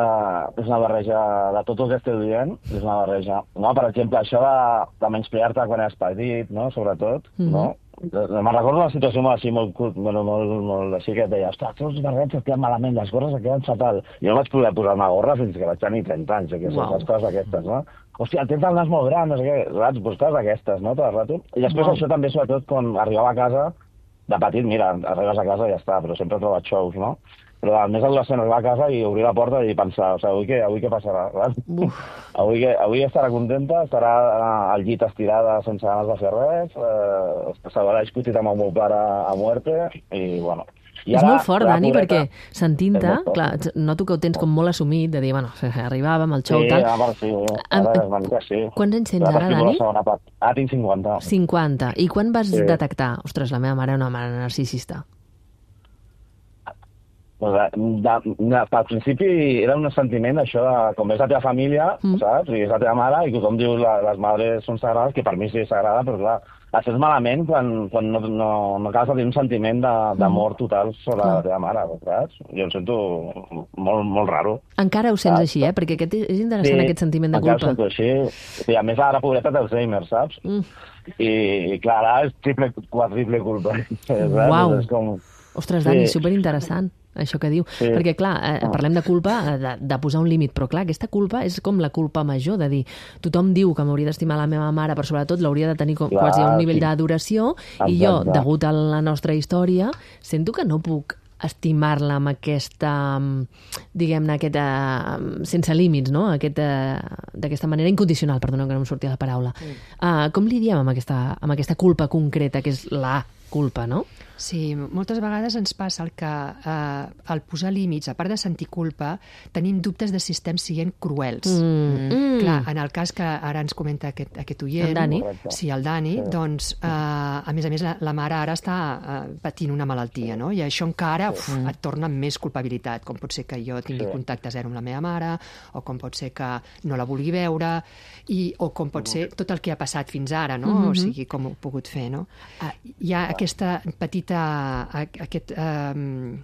és una barreja de tot el que esteu dient, és una barreja. No? Per exemple, això de, de menysprear-te quan eres petit, no? Sobretot, mm-hmm. no? Me'n recordo una situació molt així, molt, bueno, molt, molt així, que et deia, ostres, tots els barrets et queden malament, les gorres et queden fatal. Jo no vaig poder posar una gorra fins que vaig tenir trenta anys, que wow. les coses aquestes, no? Hòstia, tens el nas molt gran, no sé què, saps? Pues coses aquestes, no? Tot el rato. I després wow. això també, sobretot, quan arribava a casa, de petit, mira, arribes a casa i ja està, però sempre he trobat xous, no? Però el més adolescent arribar a casa i obrir la porta i pensar, o sigui, avui què, avui què passarà? Avui, que, avui estarà contenta, estarà al llit estirada sense ganes de fer res, eh, s'haurà discutit amb el meu pare a muerte, i bueno... I és ara, molt fort, Dani, pobreta, perquè sentint-te, clar, noto que ho tens com molt assumit, de dir, bueno, arribàvem al xou, sí, tal... Ara, sí, ara és una mica, sí. Quants anys tens ara, Dani? Ah, tinc cinquanta. cinquanta. I quan vas sí. detectar, ostres, la meva mare és una mare narcisista? Pues de, de, de, al principi era un sentiment això de com és la teva família, mm. saps? I és la teva mare, i tothom diu la, les madres són sagrades, que per mi sí és sagrada, però clar, et sents malament quan, quan no, no, no acabes de tenir un sentiment d'amor total sobre mm. la teva mare, saps? Jo em sento molt, molt raro. Encara ho sents saps? Així, eh? Perquè aquest és interessant, sí, aquest sentiment de culpa. Sí, encara ho sento així. I a més, ara, pobreta, té Alzheimer, saps? Mm. I, I clar, ara és triple, quadriple culpa. Uau! És com... Ostres, Dani, sí. superinteressant, això que diu. Sí. Perquè, clar, eh, parlem de culpa, de, de posar un límit, però, clar, aquesta culpa és com la culpa major, de dir, tothom diu que m'hauria d'estimar la meva mare, però sobretot l'hauria de tenir com, clar, quasi un nivell sí. d'adoració, i jo, degut a la nostra història, sento que no puc estimar-la amb aquesta, diguem-ne, aquesta, sense límits, no? Aquesta, d'aquesta manera incondicional, perdona que no em sortia la paraula. Mm. Uh, com li diem amb aquesta, amb aquesta culpa concreta, que és la culpa, no? Sí, moltes vegades ens passa el que eh, al posar límits, a part de sentir culpa, tenim dubtes de si estem sent cruels. Mm. Mm. Clar, en el cas que ara ens comenta aquest, aquest oient, el Dani, sí, el Dani, sí. doncs, eh, a més a més, la, la mare ara està eh, patint una malaltia, no? I això encara uf, Mm. et torna amb més culpabilitat, com pot ser que jo tingui Sí. contacte zero amb la meva mare, o com pot ser que no la vulgui veure, i, o com pot ser tot el que ha passat fins ara, no? Mm-hmm. O sigui, com ho he pogut fer, no? Uh, hi ha aquesta petita aquest, um,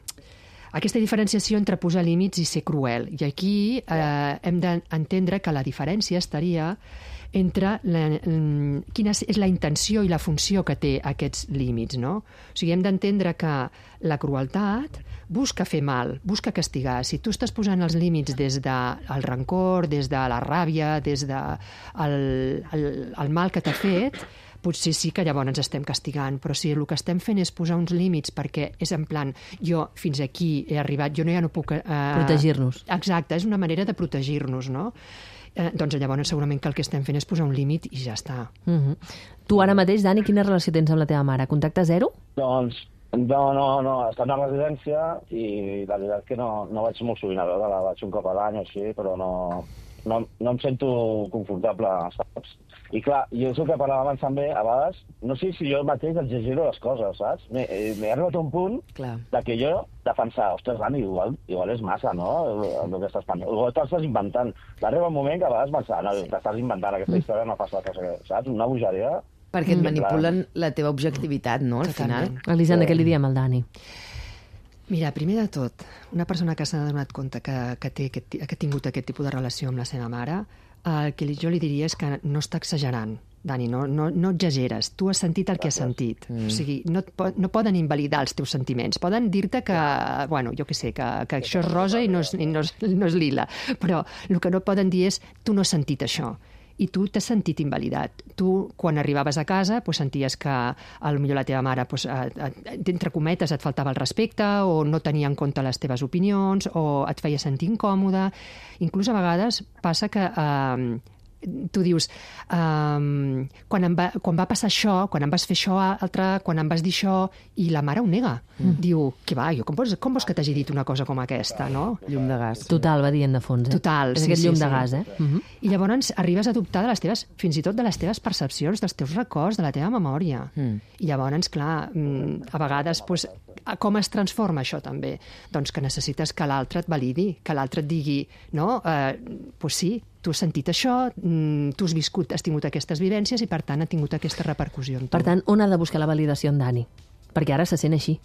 aquesta diferenciació entre posar límits i ser cruel. I aquí eh, hem d'entendre que la diferència estaria entre la, quina és la intenció i la funció que té aquests límits, no? O sigui, hem d'entendre que la crueltat busca fer mal, busca castigar. Si tu estàs posant els límits des del rancor, des de la ràbia, des del de el, el mal que t'ha fet, potser sí que llavors ens estem castigant, però si el que estem fent és posar uns límits perquè és en plan, jo fins aquí he arribat, jo no ja no puc... Eh, protegir-nos. Exacte, és una manera de protegir-nos, no? Eh, doncs llavors segurament que el que estem fent és posar un límit i ja està. Mm-hmm. Tu ara mateix, Dani, quina relació tens amb la teva mare? Contacte zero? Doncs, no, no, no, està en una residència i la veritat que no, no vaig molt sovint a veure-la, vaig un cop a l'any o així, però no, no, no em sento confortable, saps? I clar, jo és el que parlàvem abans també, a vegades, no sé si jo mateix exagero les coses, saps? M'he arribat a un punt Clar. de que jo defensar, ostres, Dani, igual, igual és massa, no?, el, el que estàs pensant. Igual t'estàs inventant. Va arribar un moment que a vegades pensar, no, t'estàs inventant aquesta història, no passa la cosa, saps? Una bogeria. Perquè et Mm. manipulen la teva objectivitat, no?, al final. Totalment. Elisenda, què li diem al Dani? Mira, primer de tot, una persona que s'ha donat compte que, que, té aquest, que ha tingut aquest tipus de relació amb la seva mare, el que jo li diria és que no està exagerant. Dani, no, no, no exageres. Tu has sentit el que has sentit. Mm. O sigui, no, et po no poden invalidar els teus sentiments. Poden dir-te que, bueno, jo què sé, que, que això és rosa i no és, i no, és, no és lila. Però el que no poden dir és tu no has sentit això. I tu t'has sentit invalidat. Tu, quan arribaves a casa, pues, senties que potser la teva mare, pues, entre cometes, et faltava el respecte o no tenia en compte les teves opinions o et feia sentir incòmode. Inclús a vegades passa que... Eh, tu dius, um, quan, em va, quan va passar això, quan em vas fer això altre, quan em vas dir això, i la mare ho nega. Mm. Diu, què va, jo, com vols, com vols que t'hagi dit una cosa com aquesta, no? Llum de gas. Total, va dient de fons, eh? Total, és sí, aquest sí, llum sí. de gas, eh? Mm-hmm. I llavors arribes a dubtar de les teves, fins i tot de les teves percepcions, dels teus records, de la teva memòria. Mm. I llavors, clar, a vegades, pues, com es transforma això també? Doncs que necessites que l'altre et validi, que l'altre et digui, no, eh, pues sí, tu has sentit això, tu has viscut, has tingut aquestes vivències i, per tant, ha tingut aquesta repercussió en tu. Per tant, on ha de buscar la validació en Dani? Perquè ara se sent així,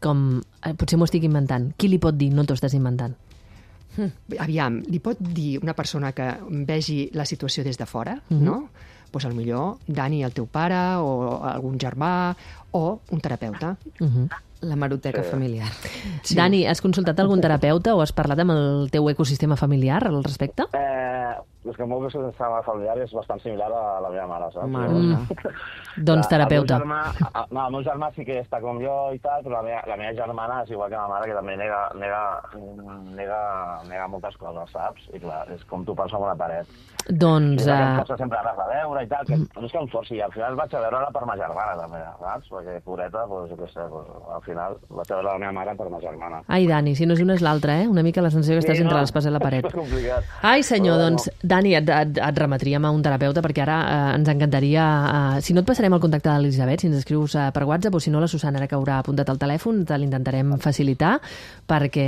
com eh, potser m'ho estic inventant. Qui li pot dir no t'ho estàs inventant? Aviam, li pot dir una persona que vegi la situació des de fora, Mhm. no? Doncs al millor Dani, el teu pare, o algun germà, o un terapeuta. Uh-huh. La maroteca Sí. familiar. Sí. Dani, has consultat algun terapeuta o has parlat amb el teu ecosistema familiar al respecte? Eh, és que el meu sistema familiar és bastant similar a la meva mare, saps? Mare Mm. meva. Doncs terapeuta. El meu germà, no, el meu germà sí que està com jo i tal, però la meva, la meva germana és igual que la mare, que també nega, nega, nega, nega moltes coses, saps? I clar, és com tu penses amb una paret. Doncs... I uh... em Uh... força sempre anar a veure i tal, que no és que em forci, i al final vaig a veure-la per ma germana, també, saps? Perquè, pobreta, doncs, jo què sé, doncs, al final vaig a veure la meva mare per ma germana. Ai, Dani, si no és una és l'altra, eh? Una mica la sensació que estàs Sí, entre no, l'espasa i la paret. és complicat. Ai, senyor, Però, doncs, Dani, et, et, et remetríem a un terapeuta perquè ara eh, ens encantaria... Eh, si no et passarem el contacte de l'Elisabet, si ens escrius eh, per WhatsApp, o si no la Susana, ara que haurà apuntat el telèfon, te l'intentarem facilitar perquè...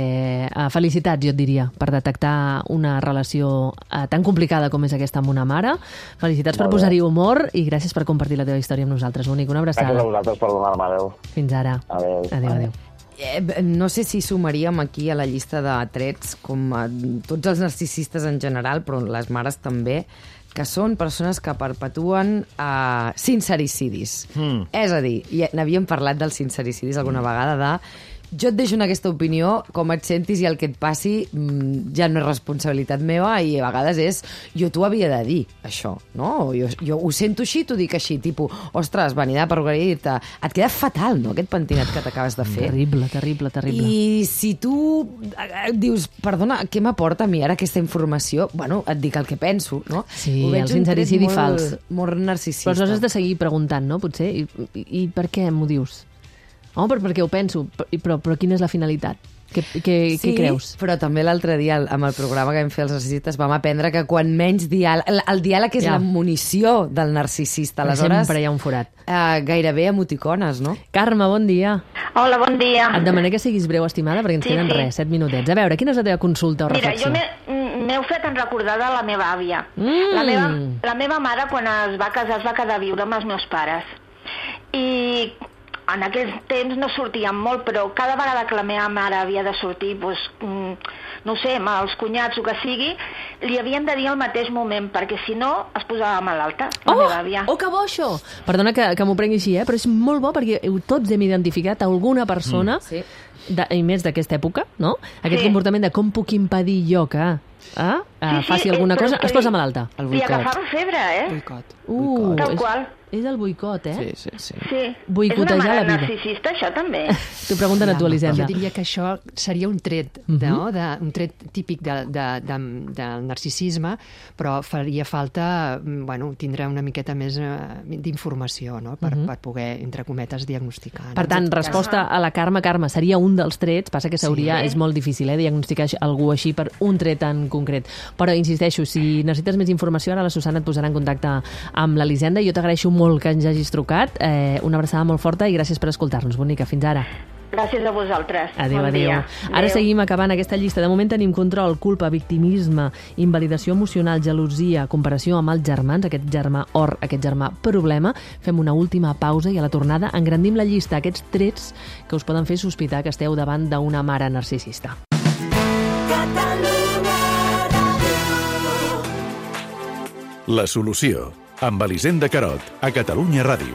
Eh, felicitats, jo et diria, per detectar una relació eh, tan complicada com és aquesta amb una mare. Felicitats per Molt bé. posar-hi humor i gràcies per compartir la teva història amb nosaltres, Bonic. Una Gràcies a abraçada. vosaltres per donar-me, adéu. Fins ara. Adéu. Adéu, adéu. Eh, no sé si sumaríem aquí a la llista de trets, com a tots els narcisistes en general, però les mares també, que són persones que perpetuen uh, sincericidis. Mm. És a dir, ja n'havíem parlat dels sincericidis alguna vegada, de jo et deixo en aquesta opinió, com et sentis i el que et passi ja no és responsabilitat meva i a vegades és, jo t'ho havia de dir, això, no? Jo, jo ho sento així, t'ho dic així, tipus, ostres, venir de perruqueria, et queda fatal, no?, aquest pentinat que t'acabes de fer. Terrible, terrible, terrible. I si tu dius, perdona, què m'aporta a mi ara aquesta informació? Bueno, et dic el que penso, no? Sí, el sincericidi fals. Molt narcisista. Però aleshores has de seguir preguntant, no?, potser, i, i, i per què m'ho dius? Home, però perquè ho penso, però, però quina és la finalitat? Què, què, sí, què creus? Però també l'altre dia, amb el programa que vam fer els narcisistes, vam aprendre que quan menys diàleg... El, el diàleg és ja. la munició del narcisista. Aleshores, sempre hi ha un forat. Uh, gairebé emoticones, no? Carme, bon dia. Hola, bon dia. Et demané que siguis breu, estimada, perquè ens sí, queden sí. res, set minutets. A veure, quina és la teva consulta o Mira, reflexió? Mira, jo m'heu fet en recordar de la meva àvia. Mm. La, meva, la meva mare, quan es va casar, es va quedar a viure amb els meus pares. I en aquells temps no sortíem molt, però cada vegada que la meva mare havia de sortir, doncs, no sé, amb els cunyats o que sigui, li havien de dir al mateix moment, perquè si no es posava malalta, la oh, meva àvia. Oh, que bo això! Perdona que, que m'ho prengui així, eh? Però és molt bo perquè tots hem identificat alguna persona, mm. sí. de, i més d'aquesta època, no? Aquest sí. comportament de com puc impedir jo que eh, sí, sí, faci alguna cosa, es posa malalta. El boicot. Li agafava febre, eh? Boicot. Uh, Tal és, qual. És el boicot, eh? Sí, sí, sí. sí. Boicotejar és una la vida. mare narcisista, això també. T'ho pregunten a tu, Elisenda. Jo diria que això seria un tret, uh -huh. no? de, un tret típic de, de, de, del narcisisme, però faria falta bueno, tindre una miqueta més uh, d'informació, no? per, uh -huh. per poder, entre cometes, diagnosticar. No? Per tant, resposta a la Carme, Carme, seria un dels trets, passa que s'hauria, sí. és molt difícil eh, diagnosticar algú així per un tret en concret. Però, insisteixo, si necessites més informació, ara la Susana et posarà en contacte amb l'Elisenda. Jo t'agraeixo molt que ens hagis trucat. Eh, una abraçada molt forta i gràcies per escoltar-nos. Bonica, fins ara. Gràcies a vosaltres. Adéu, bon adéu. Dia. Ara adéu. seguim acabant aquesta llista. De moment tenim control, culpa, victimisme, invalidació emocional, gelosia, comparació amb els germans, aquest germà or, aquest germà problema. Fem una última pausa i a la tornada engrandim la llista, aquests trets que us poden fer sospitar que esteu davant d'una mare narcisista. La solució, amb Elisenda Carot, a Catalunya Ràdio.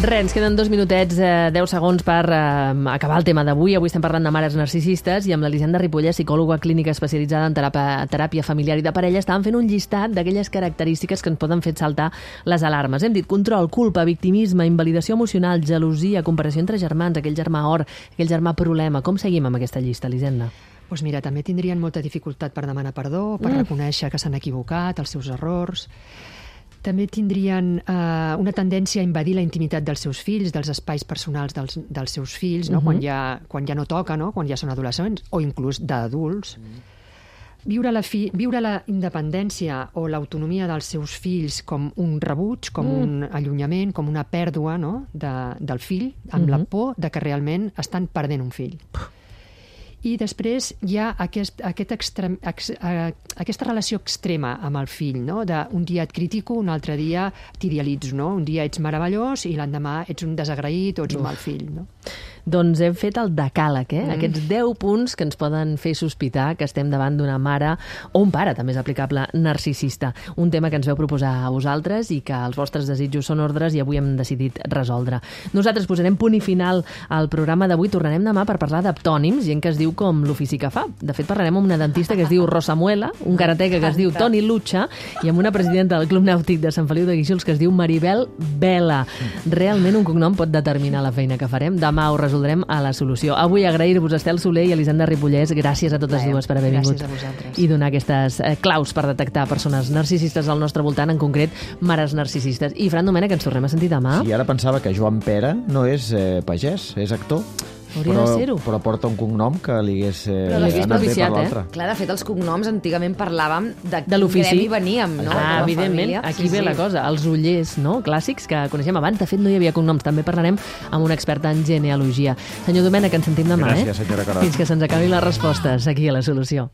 Res, ens queden dos minutets, eh, deu segons per eh, acabar el tema d'avui. Avui estem parlant de mares narcisistes i amb l'Elisenda Ripollès, psicòloga clínica especialitzada en teràpia, teràpia familiar i de parella, estàvem fent un llistat d'aquelles característiques que ens poden fer saltar les alarmes. Hem dit control, culpa, victimisme, invalidació emocional, gelosia, comparació entre germans, aquell germà or, aquell germà problema. Com seguim amb aquesta llista, Elisenda? Doncs pues mira, també tindrien molta dificultat per demanar perdó, per mm. reconèixer que s'han equivocat, els seus errors. També tindrien eh, una tendència a invadir la intimitat dels seus fills, dels espais personals dels, dels seus fills, no? uh-huh. quan, ja, quan ja no toca, no? Quan ja són adolescents, o inclús d'adults. Mm. Viure la, fi, viure la independència o l'autonomia dels seus fills com un rebuig, com mm. un allunyament, com una pèrdua no? de, del fill, amb mm-hmm. la por de que realment estan perdent un fill. I després hi ha aquest, aquest extrem, ex, uh, aquesta relació extrema amb el fill, no? De, un dia et critico, un altre dia t'idealitzo, no? Un dia ets meravellós i l'endemà ets un desagraït o ets un mal fill, no? Doncs hem fet el decàleg, eh? Mm. Aquests deu punts que ens poden fer sospitar que estem davant d'una mare o un pare, també és aplicable, narcisista. Un tema que ens veu proposar a vosaltres i que els vostres desitjos són ordres i avui hem decidit resoldre. Nosaltres posarem punt i final al programa d'avui. Tornarem demà per parlar d'aptònims, gent que es diu com l'ofici que fa. De fet, parlarem amb una dentista que es diu Rosa Muela, un karateca que es diu Toni Lucha i amb una presidenta del Club Nàutic de Sant Feliu de Guíxols que es diu Maribel Vela. Realment un cognom pot determinar la feina que farem. Demà ho resoldrem a La Solució. Avui agrair-vos Estel Soler i Elisenda Ripollès. Gràcies a totes dues per haver vingut. Gràcies a vosaltres. I donar aquestes eh, claus per detectar persones narcisistes al nostre voltant, en concret mares narcisistes. I Fran Domènech, ens tornem a sentir demà. Sí, ara pensava que Joan Pera no és eh, pagès, és actor. Hauria però, de ser-ho. Però porta un cognom que li hagués, eh, Però l'hagués anat bé per propiciat, l'altre. eh? Clar, de fet, els cognoms antigament parlàvem de, De l'ofici. gremi veníem, no? Ah, De la evidentment, família. aquí Sí, ve sí. la cosa. Els ullers, no?, clàssics que coneixem abans. De fet, no hi havia cognoms. També parlarem amb un expert en genealogia. Senyor Domènech, ens sentim demà, Gràcies, eh? senyora Carot. Fins que se'ns acabin les respostes aquí a La Solució.